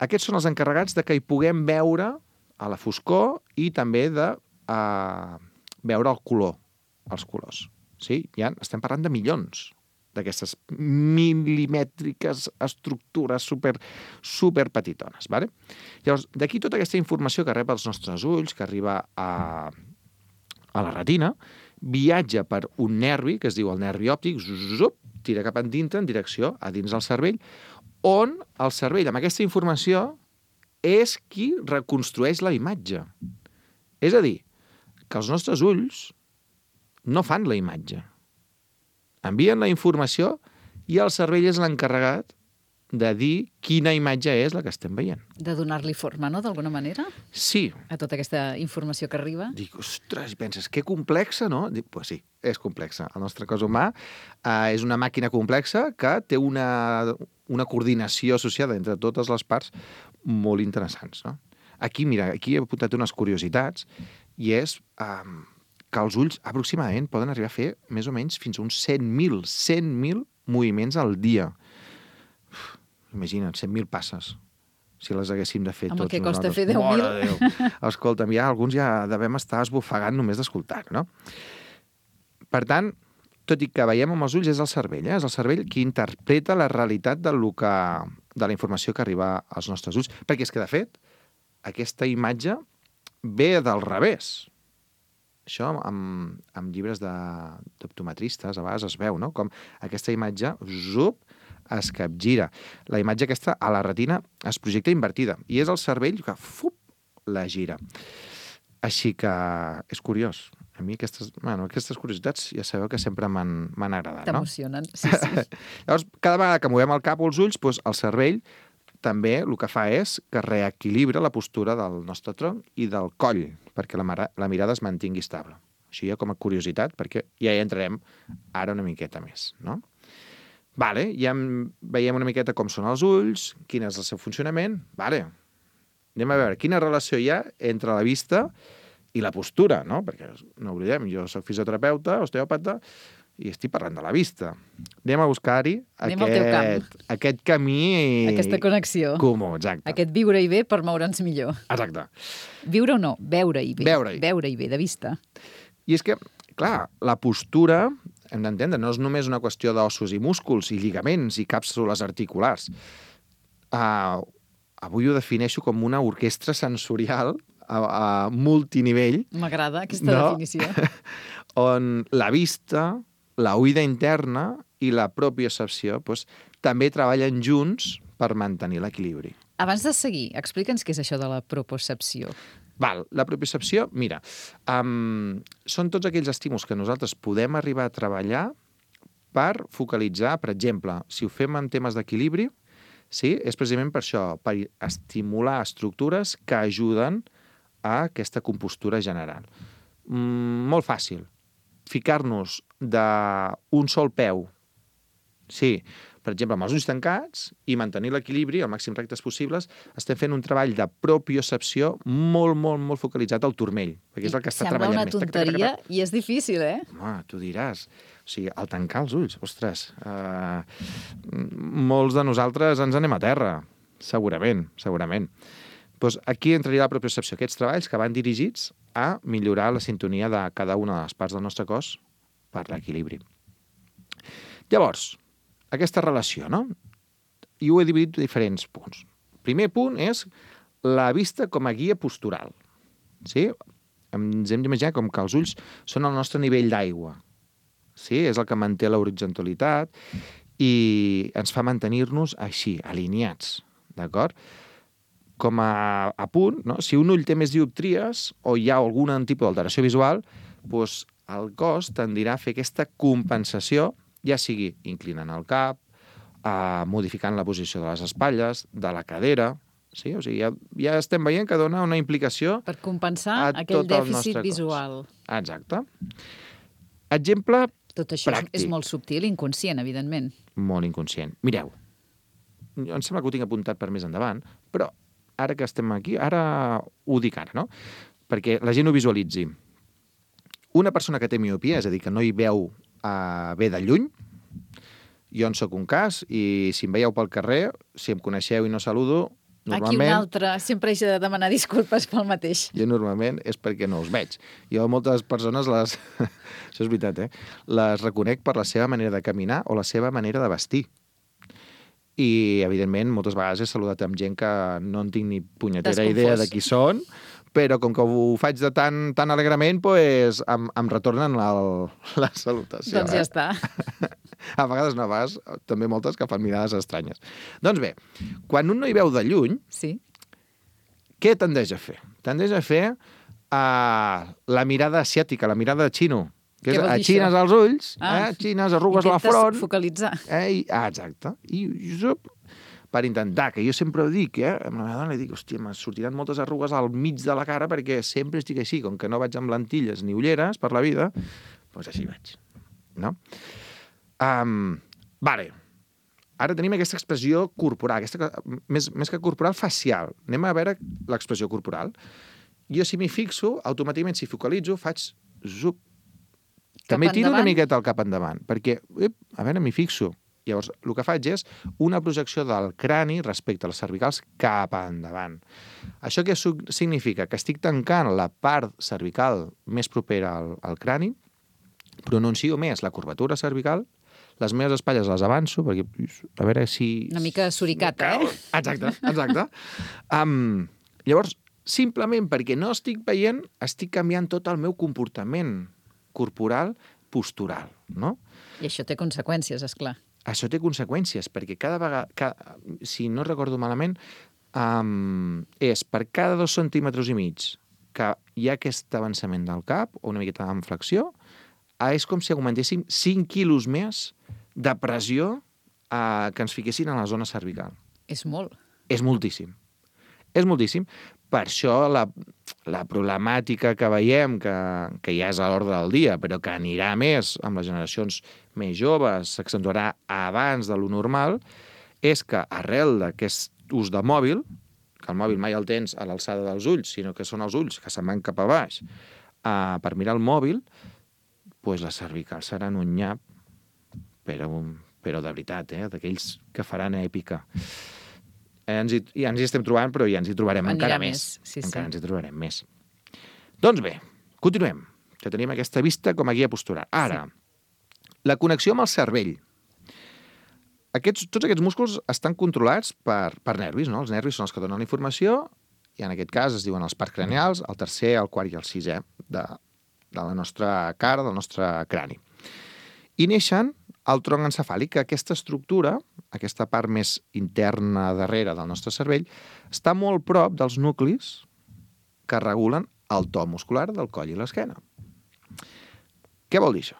aquests són els encarregats de que hi puguem veure a la foscor i també de uh, veure el color, els colors. Sí? Ja estem parlant de milions d'aquestes milimètriques estructures super, super petitones. Vale? Llavors, d'aquí tota aquesta informació que rep els nostres ulls, que arriba a, a la retina, viatja per un nervi, que es diu el nervi òptic, zup, tira cap endintre en direcció a dins del cervell, on el cervell, amb aquesta informació, és qui reconstrueix la imatge. És a dir, que els nostres ulls no fan la imatge. Envien la informació i el cervell és l'encarregat de dir quina imatge és la que estem veient. De donar-li forma, no?, d'alguna manera, Sí, a tota aquesta informació que arriba. dic, ostres, penses, que complexa, no? Dic, pues sí, és complexa. El nostre cos humà eh, és una màquina complexa que té una, una coordinació associada entre totes les parts molt interessants, no? Aquí, mira, aquí he apuntat unes curiositats i és eh, que els ulls aproximadament poden arribar a fer més o menys fins a uns cent mil, cent mil moviments al dia. Uf, imagina't, cent mil passes, si les haguéssim de fer Amb el tots que costa nosaltres. fer deu mil. Mare de Déu. Escolta'm, ja alguns ja devem estar esbufegant només d'escoltar, no? Per tant, tot i que veiem amb els ulls, és el cervell, eh? És el cervell qui interpreta la realitat del que, de la informació que arriba als nostres ulls. Perquè és que, de fet, aquesta imatge ve del revés. Això amb, amb llibres de- d'optometristes a vegades es veu, no? Com aquesta imatge, zup, es capgira. La imatge aquesta a la retina es projecta invertida i és el cervell que, fup, la gira. Així que és curiós. A mi aquestes, bueno, aquestes curiositats ja sabeu que sempre m'han m'han agradat, no? T'emocionen, sí, sí. Llavors, cada vegada que movem el cap o els ulls, doncs el cervell també el que fa és que reequilibra la postura del nostre tronc i del coll, perquè la, mara, la mirada es mantingui estable. Això ja com a curiositat, perquè ja hi entrarem ara una miqueta més, no? Vale, ja veiem una miqueta com són els ulls, quin és el seu funcionament. Vale, anem a veure quina relació hi ha entre la vista i la postura, no? Perquè no oblidem, jo soc fisioterapeuta, osteòpata, i estic parlant de la vista. Anem a buscar-hi Anem al teu aquest, aquest camí... Aquesta connexió. comú, exacte. Aquest viure-hi bé per moure'ns millor. Exacte. Viure o no? Veure-hi bé. Veure-hi. Veure-hi bé, de vista. I és que, clar, la postura, hem d'entendre, no és només una qüestió d'ossos i músculs i lligaments i càpsules articulars. Uh, avui ho defineixo com una orquestra sensorial a, a multinivell, M'agrada aquesta No. definició. on la vista, la oïda interna i la propiocepció doncs, també treballen junts per mantenir l'equilibri. Abans de seguir, explica'ns què és això de la propocepció. Val, la propiocepció, mira, um, són tots aquells estímuls que nosaltres podem arribar a treballar per focalitzar, per exemple, si ho fem en temes d'equilibri, sí, és precisament per això, per estimular estructures que ajuden a aquesta compostura general. Mm, molt fàcil. Ficar-nos d'un sol peu, sí, per exemple, amb els ulls tancats i mantenir l'equilibri, el màxim rectes possibles, estem fent un treball de propiocepció molt, molt, molt focalitzat al turmell, perquè és el que està Sembla treballant una més. Tac, tac, tac, tonteria tac. i és difícil, eh? Home, tu diràs. O sigui, al tancar els ulls, ostres, uh, molts de nosaltres ens anem a terra, segurament, segurament. Doncs aquí entraria la propiocepció, aquests treballs que van dirigits a millorar la sintonia de cada una de les parts del nostre cos per l'equilibri. Llavors, aquesta relació, no? I ho he dividit en diferents punts. Primer punt és la vista com a guia postural. Sí? Ens hem d'imaginar com que els ulls són el nostre nivell d'aigua. Sí? És el que manté l'horitzontalitat i ens fa mantenir-nos així, alineats. D'acord? Com a, a punt, no? Si un ull té més dioptries o hi ha algun tipus d'alteració visual, doncs el cos tendirà a fer aquesta compensació, ja sigui inclinant el cap, eh, modificant la posició de les espatlles, de la cadera. Sí? O sigui, ja, ja estem veient que dona una implicació Per compensar a aquell tot el dèficit nostre cos. visual. Exacte. Exemple Tot això pràctic. és molt subtil, inconscient, evidentment. Molt inconscient. Mireu, jo em sembla que ho tinc apuntat per més endavant, però ara que estem aquí, ara ho dic ara, no? Perquè la gent ho visualitzi. Una persona que té miopia, és a dir, que no hi veu uh, bé de lluny, jo en sóc un cas, i si em veieu pel carrer, si em coneixeu i no saludo, Aquí un normalment... altre sempre haig de demanar disculpes pel mateix. Jo normalment és perquè no us veig. Jo moltes persones les... Això és veritat, eh? Les reconec per la seva manera de caminar o la seva manera de vestir. I, evidentment, moltes vegades he saludat amb gent que no en tinc ni punyetera idea de qui són, però com que ho faig de tan, tan alegrement, pues, em, em retornen la, la salutació. Doncs ja eh? està. A vegades no, a vegades també moltes que fan mirades estranyes. Doncs bé, quan un no hi veu de lluny, Sí. què tendeix a fer? Tendeix a fer uh, la mirada asiàtica, la mirada de xino. Que Què és, vol dir aixines això? els ulls, Ah. eh? Xines, arrugues la Intentes front. focalitzar. Eh? I, ah, exacte. I, i zup, per intentar, que jo sempre ho dic, eh? Amb la meva dona li dic, hòstia, m'han sortiran moltes arrugues al mig de la cara perquè sempre estic així, com que no vaig amb lentilles ni ulleres per la vida, doncs així vaig, no? Um, vale. Ara tenim aquesta expressió corporal, aquesta, més, més que corporal, facial. Anem a veure l'expressió corporal. Jo, si m'hi fixo, automàticament, si focalitzo, faig zup. També tiro una miqueta el cap endavant, perquè, ep, a veure, m'hi fixo. Llavors, el que faig és una projecció del crani respecte a les cervicals cap endavant. Això què significa? Que estic tancant la part cervical més propera al, al crani, pronuncio més la curvatura cervical, les meves espatlles les avanço, perquè a veure si... Una mica suricata, eh? Exacte, exacte. Um, llavors, simplement perquè no estic veient, estic canviant tot el meu comportament corporal, postural, no? I això té conseqüències, és clar. Això té conseqüències, perquè cada vegada, cada, si no recordo malament, um, és per cada dos centímetres i mig que hi ha aquest avançament del cap, o una miqueta en flexió, és com si augmentéssim cinc quilos més de pressió eh, que ens fiquessin a la zona cervical. És molt. És moltíssim. És moltíssim. Per això la, la problemàtica que veiem, que, que ja és a l'ordre del dia, però que anirà més amb les generacions més joves, s'accentuarà abans de lo normal, és que arrel d'aquest ús de mòbil, que el mòbil mai el tens a l'alçada dels ulls, sinó que són els ulls que se'n van cap a baix, eh, per mirar el mòbil, pues les cervicals seran un nyap, però, però de veritat, eh? D'aquells que faran èpica. Eh, ens hi, ja ens hi estem trobant, però ja ens hi trobarem Anirà encara més. més. Sí, encara sí. ens hi trobarem més. Doncs bé, continuem. Que tenim aquesta vista com a guia postural. Ara, sí. La connexió amb el cervell. Aquests, tots aquests músculs estan controlats per, per nervis, no? Els nervis són els que donen la informació, i en aquest cas es diuen els parts craneals, el tercer, el quart i el sisè de, de la nostra cara, del nostre crani. I neixen el tronc encefàlic, que aquesta estructura, aquesta part més interna darrere del nostre cervell, està molt prop dels nuclis que regulen el to muscular del coll i l'esquena. Què vol dir això?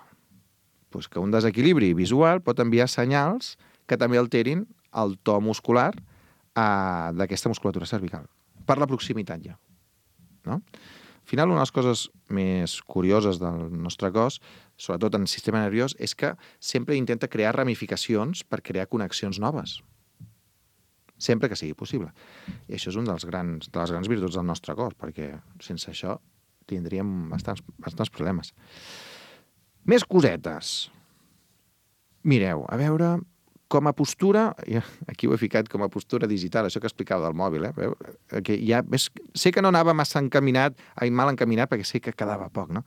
Pues que un desequilibri visual pot enviar senyals que també alterin el to muscular eh, d'aquesta musculatura cervical, per la proximitat ja. No? Al final, una de les coses més curioses del nostre cos, sobretot en el sistema nerviós, és que sempre intenta crear ramificacions per crear connexions noves. Sempre que sigui possible. I això és un dels grans, de les grans virtuts del nostre cos, perquè sense això tindríem bastants, bastants problemes. Més cosetes. Mireu, a veure, com a postura, aquí ho he ficat com a postura digital, això que explicava del mòbil, eh? Veu? Que ja, ves, sé que no anava massa encaminat, ai, mal encaminat, perquè sé que quedava poc, no?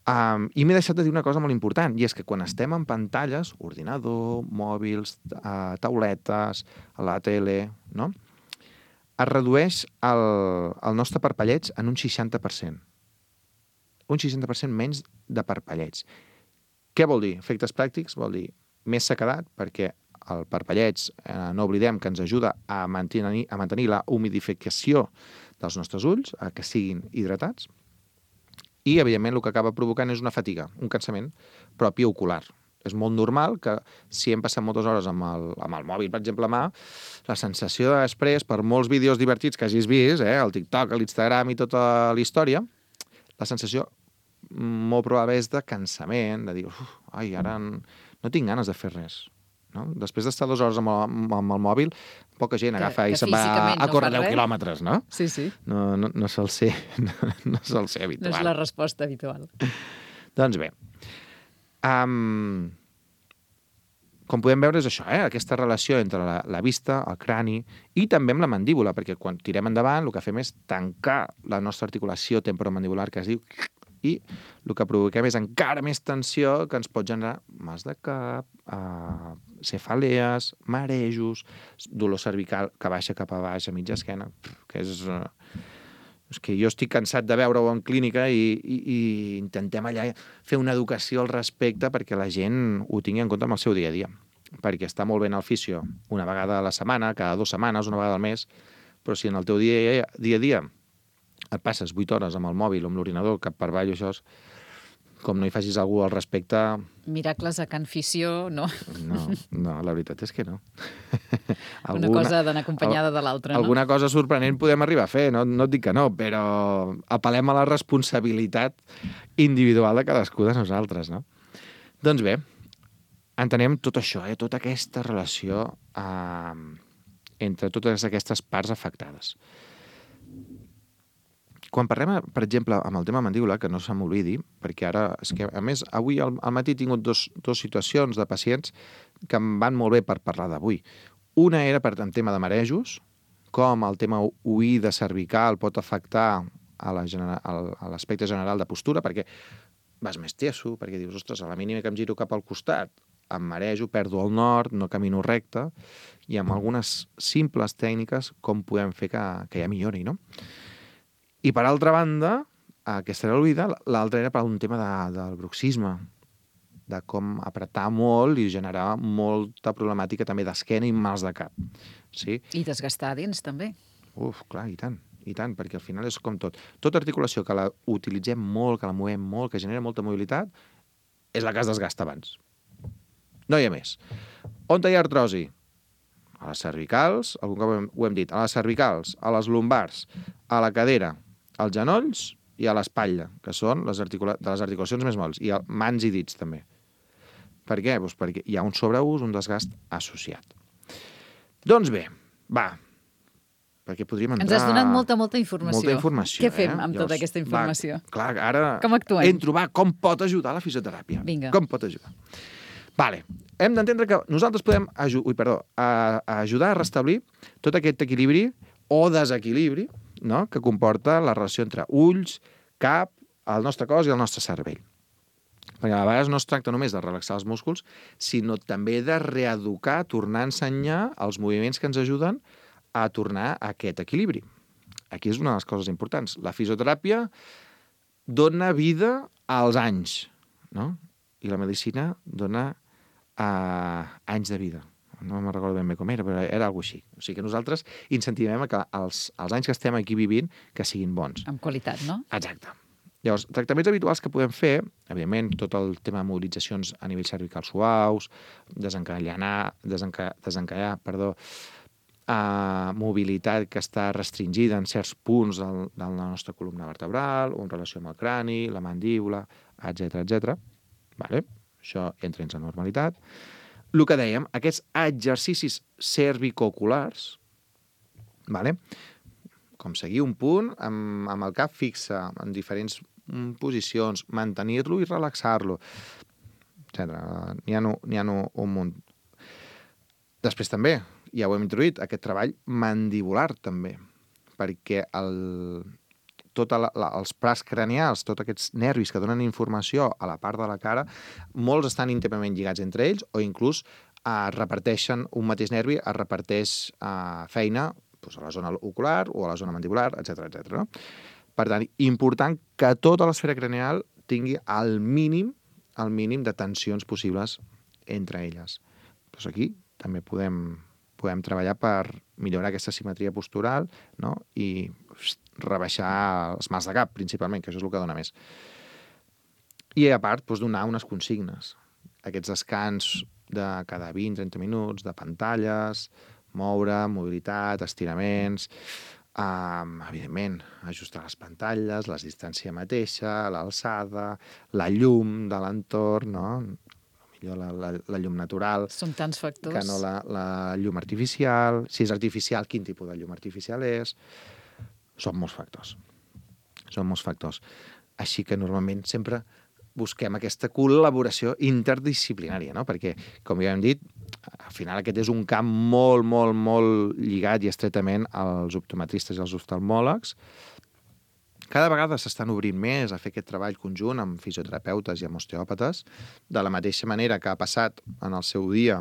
Um, I m'he deixat de dir una cosa molt important, i és que quan estem en pantalles, ordinador, mòbils, uh, tauletes, a la tele, no? Es redueix el, el nostre parpelleig en un seixanta per cent. Un seixanta per cent menys de parpelleig. Què vol dir? Efectes pràctics vol dir més sequedat, perquè el parpelleig, eh, no oblidem que ens ajuda a mantenir, a mantenir la humidificació dels nostres ulls, a que siguin hidratats, i, evidentment, el que acaba provocant és una fatiga, un cansament propi ocular. És molt normal que, si hem passat moltes hores amb el, amb el mòbil, per exemple, a mà, la sensació després, per molts vídeos divertits que hagis vist, eh, el TikTok, l'Instagram i tota la història, la sensació molt probable és de cansament, de dir, uf, ai, ara no tinc ganes de fer res. No? Després d'estar dues hores amb el, amb el mòbil, poca gent agafa que, i se'n va a córrer no deu quilòmetres, no? Sí, sí. No, no, no sol ser, no, no sol ser habitual. No és la resposta habitual. Doncs bé, um, com podem veure és això, eh? Aquesta relació entre la, la vista, el crani i també amb la mandíbula, perquè quan tirem endavant el que fem és tancar la nostra articulació temporomandibular, que es diu, i el que provoquem és encara més tensió que ens pot generar mals de cap, eh, cefalees, marejos, dolor cervical que baixa cap a baix a mitja esquena, que és... Eh, és que jo estic cansat de veure-ho en clínica i, i, i intentem allà fer una educació al respecte perquè la gent ho tingui en compte amb el seu dia a dia. Perquè està molt bé en el fisio una vegada a la setmana, cada dues setmanes, una vegada al mes, però si en el teu dia, dia a dia et passes vuit hores amb el mòbil o amb l'ordinador cap per avall, això és... com no hi facis algú al respecte... Miracles a Can Fissió, no? No, no, la veritat és que no. Una cosa d'anar acompanyada de l'altra, no? Alguna cosa sorprenent podem arribar a fer, no, no et dic que no, però apel·lem a la responsabilitat individual de cadascú de nosaltres, no? Doncs bé, entenem tot això, eh? Tota aquesta relació eh, entre totes aquestes parts afectades. Quan parlem, per exemple, amb el tema mandíbula, que no se m'oblidi, perquè ara, és que, a més, avui al, al matí he tingut dos, dos situacions de pacients que em van molt bé per parlar d'avui. Una era per en tema de marejos, com el tema oïda cervical pot afectar a la genera, a l'aspecte general de postura, perquè vas més tieso, perquè dius, ostres, a la mínima que em giro cap al costat, em marejo, perdo el nord, no camino recte, i amb algunes simples tècniques com podem fer que, que ja millori, no? I per altra banda, aquesta era l'oïda, l'altra era per un tema de, del bruxisme, de com apretar molt i generar molta problemàtica també d'esquena i mals de cap. Sí? I desgastar dins, també. Uf, clar, i tant, i tant, perquè al final és com tot. Tota articulació que la utilitzem molt, que la movem molt, que genera molta mobilitat, és la que es desgasta abans. No hi ha més. On hi ha artrosi? A les cervicals, algun cop ho hem dit, a les cervicals, a les lumbars, a la cadera, als genolls i a l'espatlla, que són les articula... de les articulacions més molles, i a mans i dits també. Per què? Doncs perquè hi ha un sobreús, un desgast associat. Doncs bé, va, perquè podríem entrar... Ens has donat molta, molta informació. Molta informació, Què fem eh? amb tota aquesta informació? Va, clar, ara... Com actuem? Entro, va, com pot ajudar la fisioteràpia? Vinga. Com pot ajudar? Vale. Hem d'entendre que nosaltres podem aju Ui, perdó, a, a ajudar a restablir tot aquest equilibri o desequilibri, no?, que comporta la relació entre ulls, cap, el nostre cos i el nostre cervell. Perquè a vegades no es tracta només de relaxar els músculs, sinó també de reeducar, tornar a ensenyar els moviments que ens ajuden a tornar a aquest equilibri. Aquí és una de les coses importants. La fisioteràpia dona vida als anys, no? I la medicina dona uh, anys de vida. No me'n recordo ben bé com era, però era alguna cosa així. O sigui que nosaltres incentivem que els, els anys que estem aquí vivint que siguin bons. Amb qualitat, no? Exacte. Llavors, tractaments habituals que podem fer, evidentment, tot el tema de mobilitzacions a nivell cervical suaus, desencallar, desenca, desencallar, perdó, uh, mobilitat que està restringida en certs punts del, de la nostra columna vertebral, o en relació amb el crani, la mandíbula, etcètera, etcètera. Vale? Això entra en la normalitat. El que dèiem, aquests exercicis cervicooculars, vale? Com seguir un punt amb, amb el cap fixe en diferents posicions, mantenir-lo i relaxar-lo, etcètera. N'hi ha, n'hi ha un munt. Després també, ja ho hem introduït, aquest treball mandibular també, perquè el, tot la, la, els pras cranials, tots aquests nervis que donen informació a la part de la cara, molts estan íntimament lligats entre ells o inclús eh, reparteixen un mateix nervi, es reparteix eh, feina doncs, a la zona ocular o a la zona mandibular, etcètera, etcètera. No? Per tant, important que tota l'esfera cranial tingui el mínim, el mínim de tensions possibles entre elles. Doncs aquí també podem, podem treballar per millorar aquesta simetria postural, no? I rebaixar els mals de cap, principalment, que això és el que dona més. I a part, doncs, donar unes consignes. Aquests descans de cada vint a trenta minuts, de pantalles, moure, mobilitat, estiraments, um, evidentment, ajustar les pantalles, la distància mateixa, l'alçada, la llum de l'entorn, no? Millor la, la, la llum natural. Són tants factors. Que no la, la llum artificial. Si és artificial, quin tipus de llum artificial és? Són molts factors. Són molts factors. Així que normalment sempre busquem aquesta col·laboració interdisciplinària, no? Perquè, com ja hem dit, al final aquest és un camp molt, molt, molt lligat i estretament als optometristes i als oftalmòlegs. Cada vegada s'estan obrint més a fer aquest treball conjunt amb fisioterapeutes i amb osteòpates, de la mateixa manera que ha passat en el seu dia,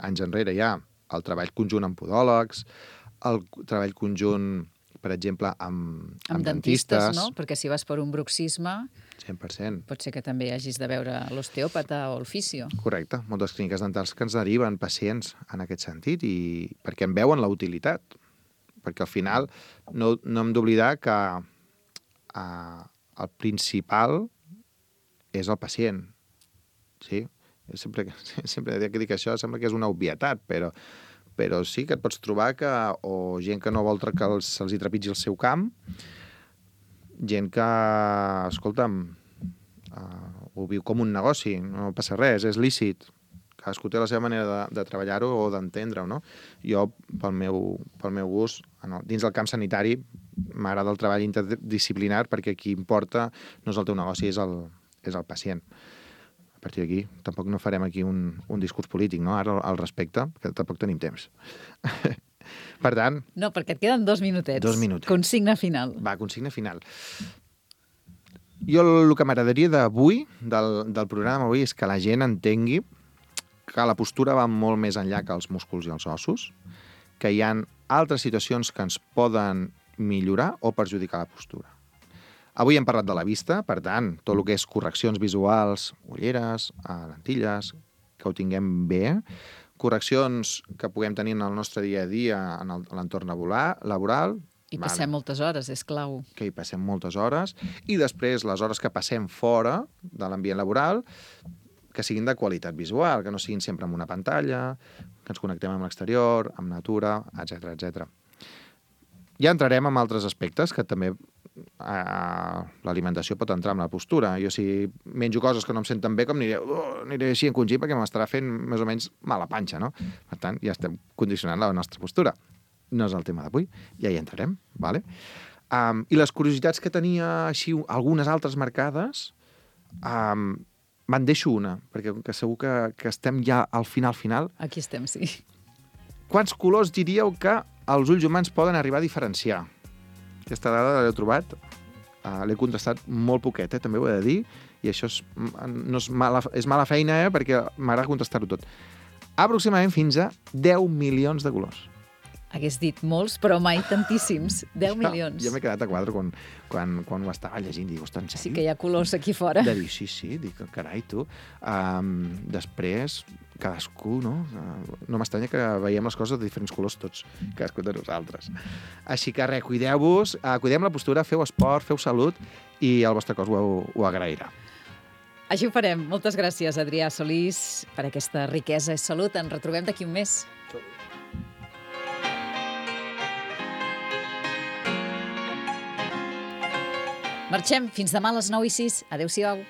anys enrere ja, el treball conjunt amb podòlegs, el treball conjunt, per exemple, amb, amb, amb dentistes, dentistes, no? Perquè si vas per un bruxisme, cent per cent. Pot ser que també hagis de veure l'osteòpata o el fisio. Correcte. Moltes clíniques dentals que ens deriven pacients en aquest sentit i perquè en veuen la utilitat. Perquè al final no, no hem d'oblidar que Uh, el principal és el pacient. Sí? Sempre, sempre que dic això sembla que és una obvietat, però, però sí que et pots trobar que o gent que no vol que els, se'ls hi trepitgi el seu camp, gent que, escolta'm, uh, ho viu com un negoci, no passa res, és lícit. Cadascú té la seva manera de, de treballar-ho o d'entendre-ho, no? Jo, pel meu, pel meu gust, en el, dins del camp sanitari, m'agrada el treball interdisciplinar perquè qui importa no és el teu negoci, és el, és el pacient. A partir d'aquí, tampoc no farem aquí un, un discurs polític, no? Ara, al respecte, que tampoc tenim temps. Per tant... No, perquè et queden dos minutets. Dos minutets. Consigna final. Va, consigna final. Jo el que m'agradaria d'avui, del, del programa avui, és que la gent entengui que la postura va molt més enllà que els músculs i els ossos, que hi ha altres situacions que ens poden millorar o perjudicar la postura. Avui hem parlat de la vista, per tant, tot el que és correccions visuals, ulleres, lentilles, que ho tinguem bé, correccions que puguem tenir en el nostre dia a dia en l'entorn laboral. I passem vale. moltes hores, és clau. Que hi passem moltes hores. I després, les hores que passem fora de l'ambient laboral, que siguin de qualitat visual, que no siguin sempre amb una pantalla, que ens connectem amb l'exterior, amb natura, etcètera, etcètera. Ja entrarem en altres aspectes que també eh, l'alimentació pot entrar en la postura. Jo si menjo coses que no em senten bé, com aniré, uh, aniré així encongit perquè m'estarà fent més o menys mala panxa, no? Per tant, ja estem condicionant la nostra postura. No és el tema d'avui, ja hi entrarem, vale? Um, I les curiositats que tenia així, algunes altres marcades, um, me'n deixo una, perquè que segur que, que estem ja al final final. Aquí estem, sí. Quants colors diríeu que els ulls humans poden arribar a diferenciar? Aquesta dada l'he trobat, uh, l'he contestat molt poquet, eh, també ho he de dir, i això és, no és, mala, és mala feina, eh, perquè m'agrada contestar-ho tot. Aproximadament fins a deu milions de colors. Hagués dit molts, però mai tantíssims. deu milions. Jo m'he quedat a quadre quan, quan, quan ho estava llegint. Dic, ostres, en sèrio? Sí que hi ha colors aquí fora. De dir, sí, sí, dic, carai, tu. Um, després, cadascú, no? Uh, no m'estranya que veiem les coses de diferents colors tots, cadascú de nosaltres. Així que res, cuideu-vos, uh, cuidem la postura, feu esport, feu salut i el vostre cos ho, ho agrairà. Així ho farem. Moltes gràcies, Adrià Solís, per aquesta riquesa i salut. Ens retrobem d'aquí un mes. Marxem. Fins demà a les nou i sis. Adéu-siau.